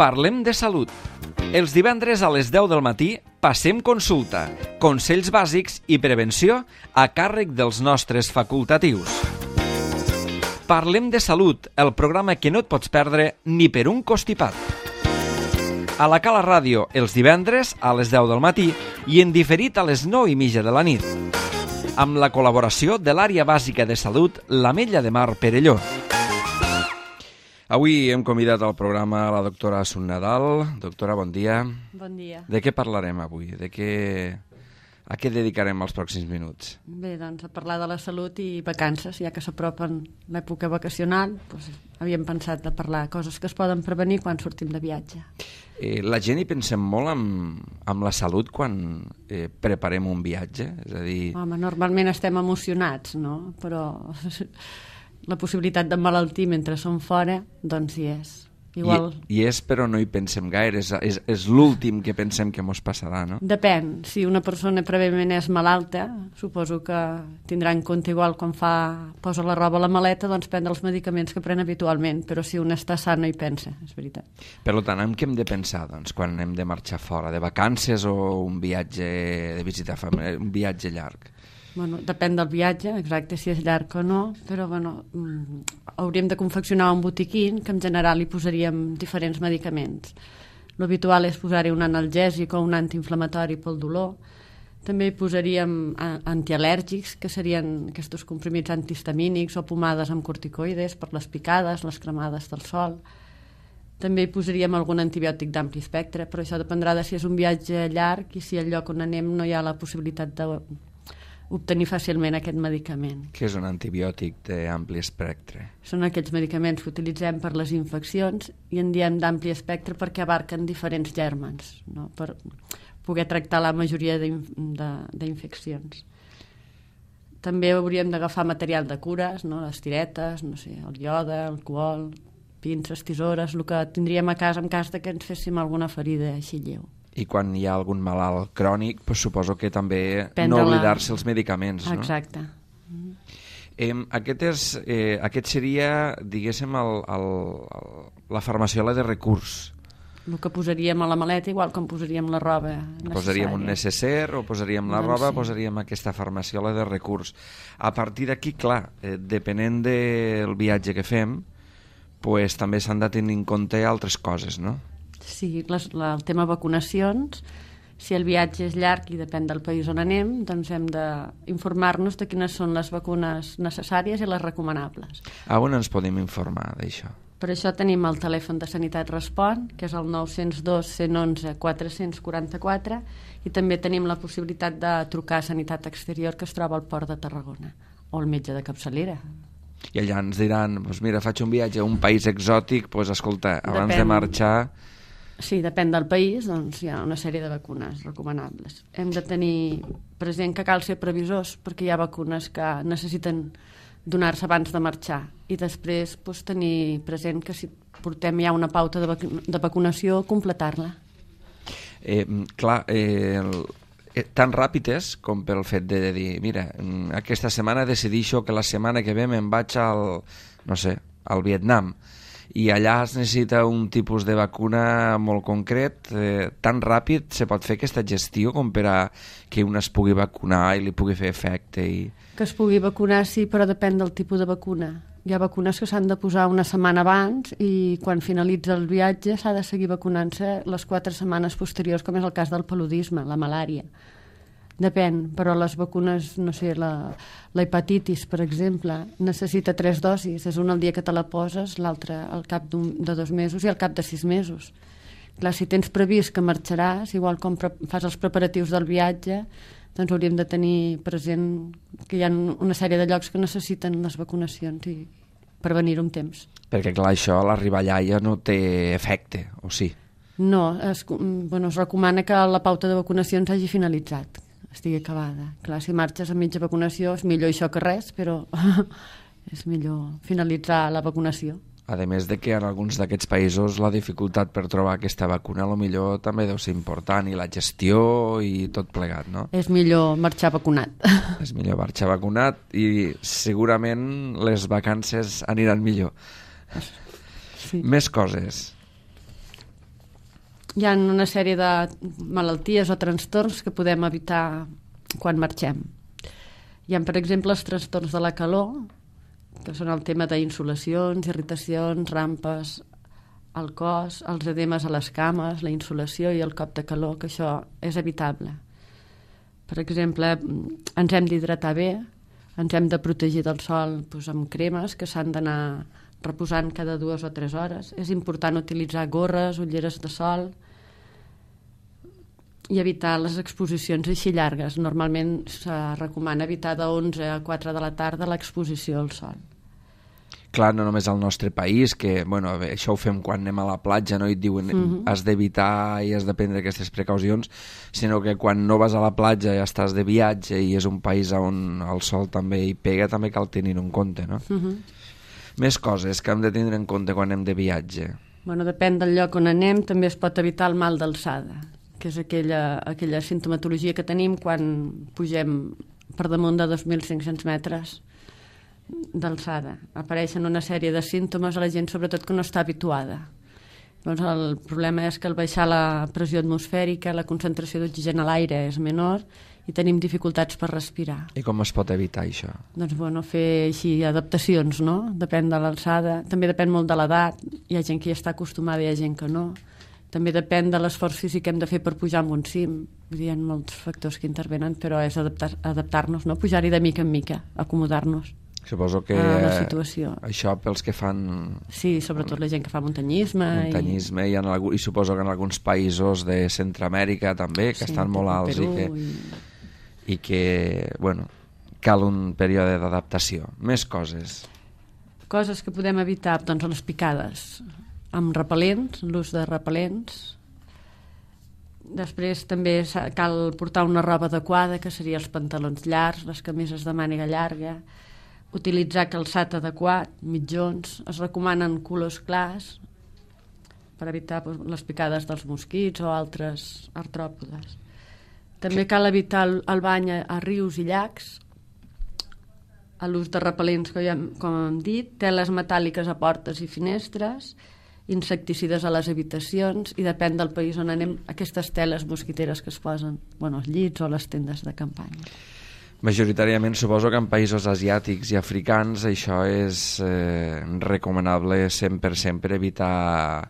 Parlem de salut. Els divendres a les 10 del matí passem consulta, consells bàsics i prevenció a càrrec dels nostres facultatius. Parlem de salut, el programa que no et pots perdre ni per un constipat. A la Cala Ràdio, els divendres a les 10 del matí i en diferit a les 9:30 de la nit. Amb la col·laboració de l'Àrea Bàsica de Salut, l'Ametlla de Mar Perelló. Avui hem convidat al programa la doctora Assun Nadal. Doctora, bon dia. Bon dia. De què parlarem avui? A què dedicarem els pròxims minuts? Bé, doncs a parlar de la salut i vacances, ja que s'apropen l'època vacacional, doncs havíem pensat de parlar coses que es poden prevenir quan sortim de viatge. La gent hi pensem molt amb la salut quan preparem un viatge? És a dir... Home, normalment estem emocionats, no? Però la possibilitat d'emmalaltir mentre som fora, doncs hi és. Igual... I és, però no hi pensem gaire, és l'últim que pensem que mos passarà, no? Depèn, si una persona prèviament és malalta, suposo que tindrà en compte igual quan posa la roba a la maleta, doncs prendre els medicaments que pren habitualment, però si un està sa no hi pensa, és veritat. Per tant, en què hem de pensar, doncs, quan hem de marxar fora, de vacances o un viatge de visita familiar, un viatge llarg? Bueno, depèn del viatge, exacte, si és llarg o no, però bueno, hauríem de confeccionar un botiquín que en general hi posaríem diferents medicaments. L'habitual és posar-hi un analgèsic o un antiinflamatori pel dolor. També hi posaríem antialèrgics, que serien aquests comprimits antihistamínics o pomades amb corticoides per les picades, les cremades del sol. També hi posaríem algun antibiòtic d'ampli espectre, però això dependrà de si és un viatge llarg i si al lloc on anem no hi ha la possibilitat d'obtenir fàcilment aquest medicament. Què és un antibiòtic d'ampli espectre? Són aquells medicaments que utilitzem per les infeccions i en diem d'ampli espectre perquè abarquen diferents gèrmens, no? Per poder tractar la majoria d'infeccions. També hauríem d'agafar material de cures, no? Les tiretes, no sé, el iode, alcohol, pinces, tisores, el que tindríem a casa en cas que ens féssim alguna ferida així lleu. I quan hi ha algun malalt crònic, doncs suposo que també no oblidar-se els medicaments, no? Exacte. Aquest seria, diguéssim, la farmaciola de recurs. El que posaríem a la maleta, igual com posaríem la roba necessària. Posaríem un necessaire o posaríem la roba, posaríem aquesta farmaciola de recurs. A partir d'aquí, clar, depenent del viatge que fem, pues, també s'han de tenir en compte altres coses, no? Sí, el tema vacunacions, si el viatge és llarg i depèn del país on anem, doncs hem d'informar-nos de quines són les vacunes necessàries i les recomanables. On ens podem informar d'això? Per això tenim el telèfon de Sanitat Respon, que és el 902 111 444, i també tenim la possibilitat de trucar a Sanitat Exterior, que es troba al Port de Tarragona, o al metge de capçalera. I allà ens diran, doncs mira, faig un viatge a un país exòtic, doncs escolta, abans de marxar... Sí, depèn del país, doncs hi ha una sèrie de vacunes recomanables. Hem de tenir present que cal ser previsors, perquè hi ha vacunes que necessiten donar-se abans de marxar, i després doncs, tenir present que si portem ja una pauta de vacunació, completar-la. Tan ràpid és com pel fet de dir, mira, aquesta setmana decidixo que la setmana que ve me'n vaig al Vietnam, i allà es necessita un tipus de vacuna molt concret. Tan ràpid se pot fer aquesta gestió com per a que un es pugui vacunar i li pugui fer efecte? Que es pugui vacunar, sí, però depèn del tipus de vacuna. Hi ha vacunes que s'han de posar una setmana abans i quan finalitza el viatge s'ha de seguir vacunant-se les 4 setmanes posteriors, com és el cas del paludisme, la malària. Depèn, però les vacunes, no sé, la hepatitis, per exemple, necessita 3 dosis. És una el dia que te la poses, l'altra al cap de 2 mesos i al cap de 6 mesos. Clar, si tens previst que marxaràs, igual com fas els preparatius del viatge, doncs hauríem de tenir present que hi ha una sèrie de llocs que necessiten les vacunacions i prevenir-ho amb temps. Perquè, clar, això a l'arribar allà ja no té efecte, o sí? No, es recomana que la pauta de vacunacions hagi finalitzat, estigui acabada. Clar, si marxes a mitja vacunació és millor això que res, però és millor finalitzar la vacunació. A més de que en alguns d'aquests països la dificultat per trobar aquesta vacuna millor també deu ser important, i la gestió i tot plegat, no? És millor marxar vacunat. És millor marxar vacunat i segurament les vacances aniran millor. Sí. Més coses. hi ha una sèrie de malalties o trastorns que podem evitar quan marxem. Hi ha, per exemple, els trastorns de la calor, que són el tema d'insolacions, irritacions, rampes al cos, els edemes a les cames, la insolació i el cop de calor, que això és evitable. Per exemple, ens hem d'hidratar bé, ens hem de protegir del sol amb cremes que s'han d'anar reposant cada 2 o 3 hores. És important utilitzar gorres, ulleres de sol i evitar les exposicions així llargues. Normalment se recomana evitar de 11 a 4 de la tarda l'exposició al sol. Clar, no només al nostre país, que bueno, això ho fem quan anem a la platja, no? I et diuen has d'evitar i has de prendre aquestes precaucions, sinó que quan no vas a la platja i estàs de viatge i és un país on el sol també hi pega, també cal tenir-ho en compte, no? Més coses que hem de tindre en compte quan anem de viatge. Bueno, depèn del lloc on anem, també es pot evitar el mal d'alçada, que és aquella sintomatologia que tenim quan pugem per damunt de 2.500 metres d'alçada. Apareixen una sèrie de símptomes a la gent, sobretot que no està habituada. Doncs el problema és que al baixar la pressió atmosfèrica, la concentració d'oxigen a l'aire és menor i tenim dificultats per respirar. I com es pot evitar això? Doncs bueno, fer així adaptacions, no? Depèn de l'alçada, també depèn molt de l'edat, hi ha gent que hi està acostumada i hi ha gent que no. També depèn de l'esforç físic que hem de fer per pujar en un cim. Vull dir, hi ha molts factors que intervenen, però és adaptar-nos, no? Pujar-hi de mica en mica, acomodar-nos. Suposo que a la situació. Això pels que fan... Sí, sobretot la gent que fa muntanyisme. Muntanyisme i suposo que en alguns països de Centroamèrica també, que estan molt alts i que, bueno, cal un període d'adaptació. Més coses. Coses que podem evitar, doncs les picades, amb repel·lents, l'ús de repel·lents. Després també cal portar una roba adequada, que seria els pantalons llargs, les camises de màniga llarga, utilitzar calçat adequat, mitjons, es recomanen colors clars per evitar les picades dels mosquits o altres artròpodes. També cal evitar el bany a rius i llacs, l'ús de repel·lents, com hem dit, teles metàl·liques a portes i finestres, insecticides a les habitacions i depèn del país on anem, aquestes teles mosquiteres que es posen als llits o a les tendes de campanya. Majoritàriament suposo que en països asiàtics i africans això és recomanable 100% per evitar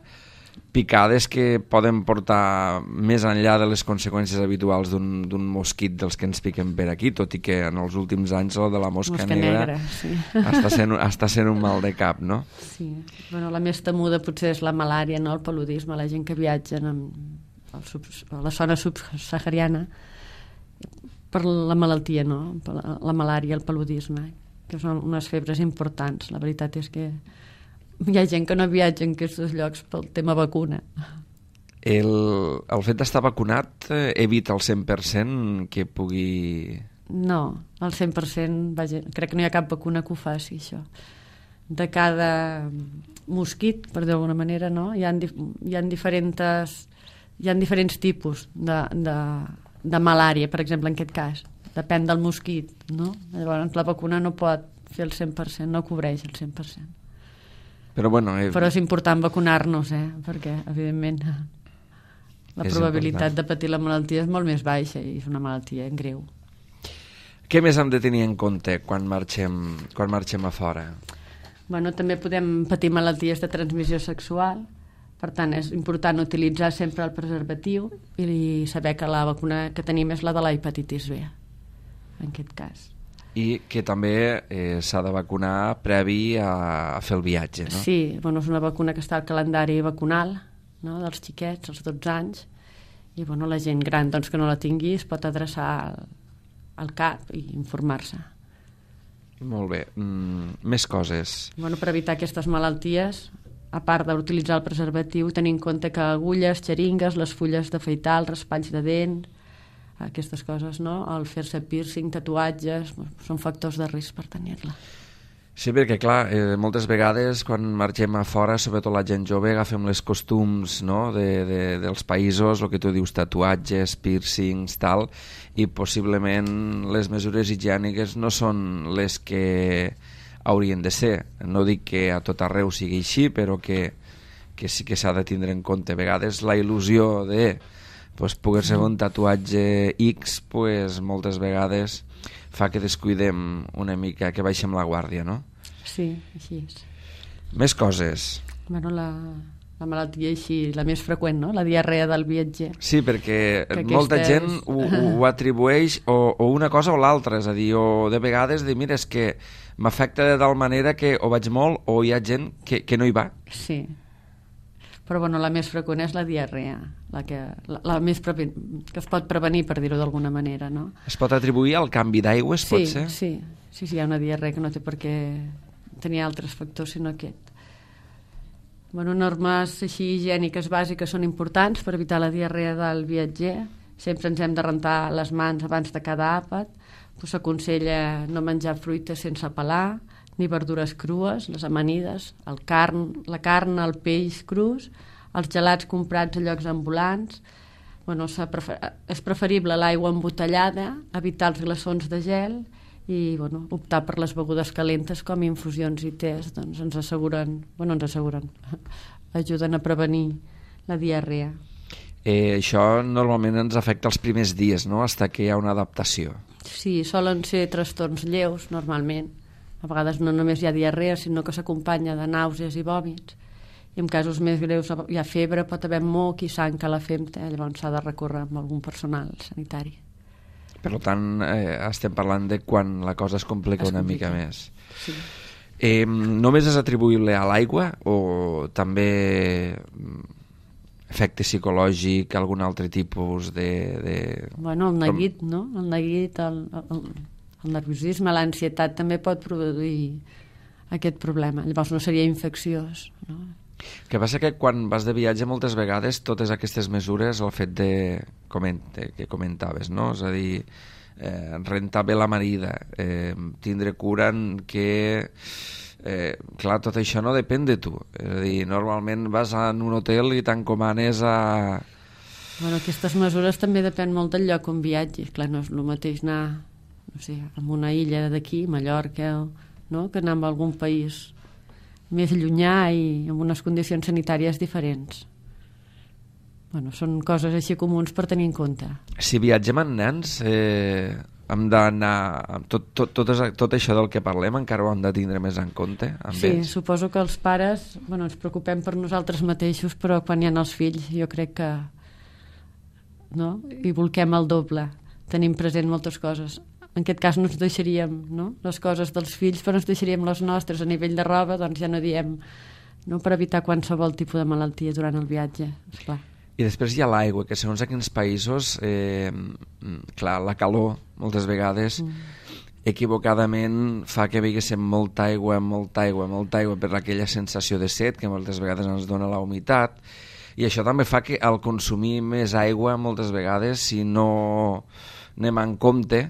picades que poden portar més enllà de les conseqüències habituals d'un mosquit dels que ens piquen per aquí, tot i que en els últims anys el de la mosca negra sí. està sent un mal de cap, no? Sí, la més temuda potser és la malària, no? El paludisme, la gent que viatja a la zona subsahariana per la malaltia, no? La malària, el paludisme, que són unes febres importants. La veritat és que hi ha gent que no viatja en aquests llocs pel tema vacuna. El fet d'estar vacunat evita el 100% que pugui... No, el 100%, vaja, crec que no hi ha cap vacuna que ho faci, això. De cada mosquit, per dir d'alguna manera, no? Hi ha diferents tipus de malària, per exemple, en aquest cas. Depèn del mosquit, no? Llavors la vacuna no pot fer el 100%, no cobreix el 100%. Però és important vacunar-nos, perquè, evidentment, la probabilitat de patir la malaltia és molt més baixa i és una malaltia greu. Què més hem de tenir en compte quan marxem a fora? També podem patir malalties de transmissió sexual. Per tant, és important utilitzar sempre el preservatiu i saber que la vacuna que tenim és la de la hepatitis B, en aquest cas. I que també s'ha de vacunar previ a fer el viatge, no? Sí, és una vacuna que està al calendari vacunal, no? Dels xiquets, als 12 anys, i la gent gran que no la tingui es pot adreçar al CAP i informar-se. Molt bé. Més coses. Per evitar aquestes malalties, a part d'utilitzar el preservatiu, tenir en compte que agulles, xeringues, les fulles d'afaitar, els raspalls de dent, aquestes coses, no? El fer-se piercing, tatuatges, són factors de risc per tenir-la. Sí, perquè clar, moltes vegades quan marxem a fora, sobretot la gent jove, agafem les costums, no? dels països, el que tu dius, tatuatges, piercings, tal, i possiblement les mesures higièniques no són les que haurien de ser. No dic que a tot arreu sigui així, però que que sí que s'ha de tindre en compte. A vegades la il·lusió de poder-se fer un tatuatge X moltes vegades fa que descuidem una mica, que baixem la guàrdia, no? Sí, així és. Més coses. Bueno, la malaltia així, la més freqüent, no? La diarrea del viatger. Sí, perquè molta gent ho atribueix o una cosa o l'altra, és a dir, o de vegades dir, mira, és que m'afecta de tal manera que o vaig molt o hi ha gent que no hi va. Sí, però bueno, la més freqüent és la diarrea, la més que es pot prevenir, per dir-ho d'alguna manera, no? Es pot atribuir al canvi d'aigües, pot ser? Sí, hi ha una diarrea que no té per què tenir altres factors sinó aquest. Bueno, normes així higièniques bàsiques són importants per evitar la diarrea del viatger. Sempre ens hem de rentar les mans abans de cada àpat. S'aconsella no menjar fruites sense pelar, ni verdures crues, les amanides, la carn, el peix crus, els gelats comprats a llocs ambulants. Bueno, és preferible l'aigua embotellada, evitar els glaçons de gel i optar per les begudes calentes com infusions i tés, doncs ens asseguren, ajuden a prevenir la diarrea. Això normalment ens afecta els primers dies, no?, fins que hi ha una adaptació. Sí, solen ser trastorns lleus, normalment. A vegades no només hi ha diarrea, sinó que s'acompanya de nàusees i vòmits. I en casos més greus hi ha febre, pot haver moc i sang a la femta, llavors s'ha de recórrer amb algun personal sanitari. Per tant, estem parlant de quan la cosa es complica una mica més. Sí. Només és atribuïble a l'aigua o també efecte psicològic, algun altre tipus de... Bueno, el neguit, no? El neguit, el nerviosisme, l'ansietat també pot produir aquest problema. Llavors no seria infecciós, no? El que passa que quan vas de viatge moltes vegades totes aquestes mesures, el fet que comentaves, no? És a dir, rentar bé la marida, tindre cura que... clar, tot això no depèn de tu. És a dir, normalment vas en un hotel i t'encomanes a... Bueno, aquestes mesures també depèn molt del lloc on viatgis. Clar, no és el mateix anar, no sé, a una illa d'aquí, Mallorca, no?, que anar a algun país més llunyà i amb unes condicions sanitàries diferents. Bueno, són coses així comuns per tenir en compte. Si viatgem amb nens, hem d'anar... Tot això del que parlem encara ho hem de tindre més en compte? Sí, suposo que els pares ens preocupem per nosaltres mateixos, però quan hi ha els fills jo crec que hi volquem el doble. Tenim present moltes coses. En aquest cas no ens deixaríem les coses dels fills, però ens deixaríem les nostres. A nivell de roba, doncs ja no diem, per evitar qualsevol tipus de malaltia durant el viatge, esclar. I després hi ha l'aigua, que segons a quins països, clar, la calor, moltes vegades, equivocadament fa que beguéssim molta aigua per aquella sensació de set que moltes vegades ens dona la humitat, i això també fa que al consumir més aigua, moltes vegades, si no anem en compte,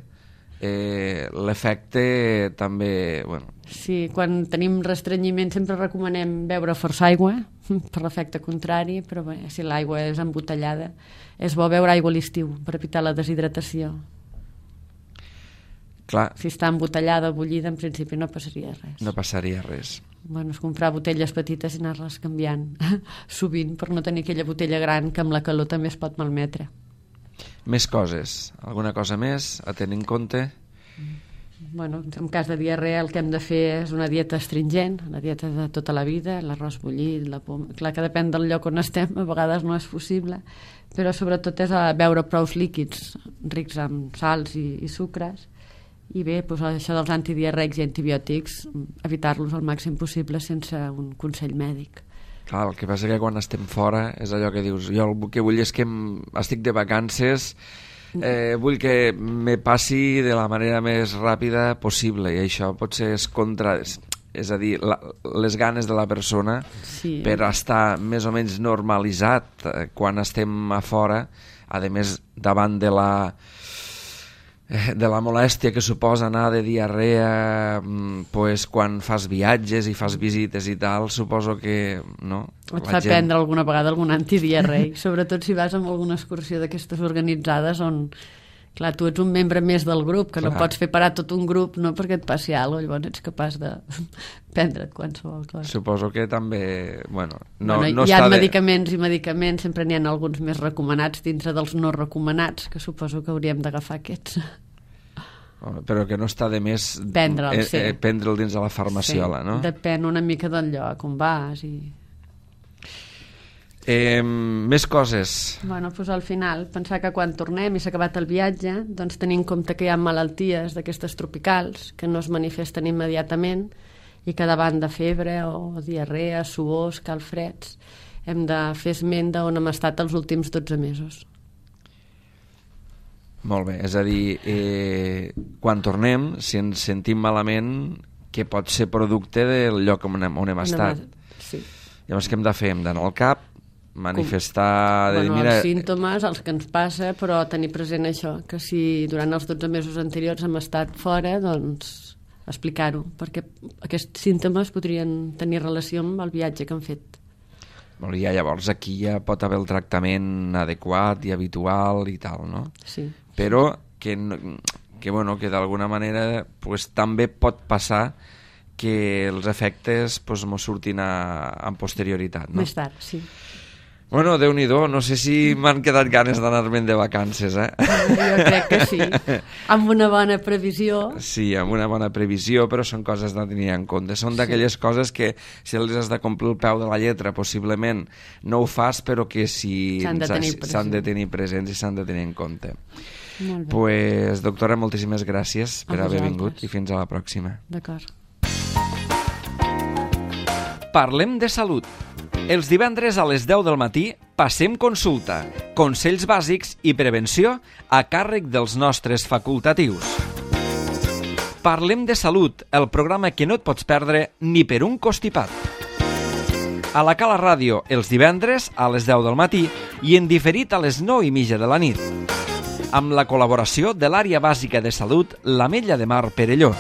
l'efecte també... Sí, quan tenim restrenyiment sempre recomanem beure força aigua, per l'efecte contrari, però si l'aigua és embotellada, és bo beure aigua a l'estiu per evitar la deshidratació. Clar. Si està embotellada o bullida, en principi no passaria res. No passaria res. És comprar botelles petites i anar-les canviant sovint per no tenir aquella botella gran que amb la calor també es pot malmetre. Més coses. Alguna cosa més a tenir en compte? En cas de diarrea el que hem de fer és una dieta astringent, una dieta de tota la vida, l'arròs bullit, la poma... Clar que depèn del lloc on estem, a vegades no és possible, però sobretot és beure prous líquids rics en sals i sucres, i bé, això dels antidiarreics i antibiòtics, evitar-los al màxim possible sense un consell mèdic. Clar, el que passa que quan estem fora és allò que dius, jo el que vull és que estic de vacances, vull que me passi de la manera més ràpida possible, i això potser és contra... És a dir, les ganes de la persona per estar més o menys normalitzat quan estem a fora, a més davant de la molèstia que suposa anar de diarrea, quan fas viatges i fas visites i tal, suposo que et fa prendre alguna vegada algun antidiarreic, sobretot si vas amb alguna excursió d'aquestes organitzades on Clar, tu ets un membre més del grup, que Clar. no pots fer parar tot un grup, no perquè et passi alguna cosa, llavors ets capaç de prendre't qualsevol cosa. Suposo que també... Bueno, No hi ha medicaments i medicaments, sempre n'hi ha alguns més recomanats dintre dels no recomanats, que suposo que hauríem d'agafar aquests. Però que no està de més Prendre'l, sí. Prendre'l dins de la farmaciola, sí, no? Depèn una mica del lloc on vas i... Més coses. Bueno, doncs al final, pensar que quan tornem i s'ha acabat el viatge, doncs tenir en compte que hi ha malalties d'aquestes tropicals que no es manifesten immediatament i que davant de febre o diarrea, suors, calfreds, hem de fer esment d'on hem estat els últims 12 mesos. Molt bé, és a dir, quan tornem, si ens sentim malament, que pot ser producte del lloc on hem estat. Sí. Llavors, què hem de fer? Hem d'anar al CAP, manifestar... Els símptomes, els que ens passa, però tenir present això, que si durant els 12 mesos anteriors hem estat fora, doncs explicar-ho, perquè aquests símptomes podrien tenir relació amb el viatge que hem fet. Molt bé, llavors aquí ja pot haver el tractament adequat i habitual i tal, no? Sí. Però que d'alguna manera pues, també pot passar que els efectes pues, mos surtin en posterioritat, no? Més tard, sí. Bueno, Déu-n'hi-do, no sé si m'han quedat ganes d'anar-me'n de vacances, Jo crec que sí. Amb una bona previsió. Sí, amb una bona previsió, però són coses de tenir en compte. Són d'aquelles coses que si les has de complir el peu de la lletra, possiblement no ho fas, però que sí s'han de tenir presents i s'han de tenir en compte. Molt bé. Pues, doctora, moltíssimes gràcies per haver vingut i fins a la pròxima. D'acord. Parlem de salut. Els divendres a les 10 del matí passem consulta, consells bàsics i prevenció a càrrec dels nostres facultatius. Parlem de salut, el programa que no et pots perdre ni per un costipat. A la Cala Ràdio, els divendres a les 10 del matí i en diferit a les 9:30 de la nit. Amb la col·laboració de l'Àrea Bàsica de Salut, l'Ametlla de Mar Perelló.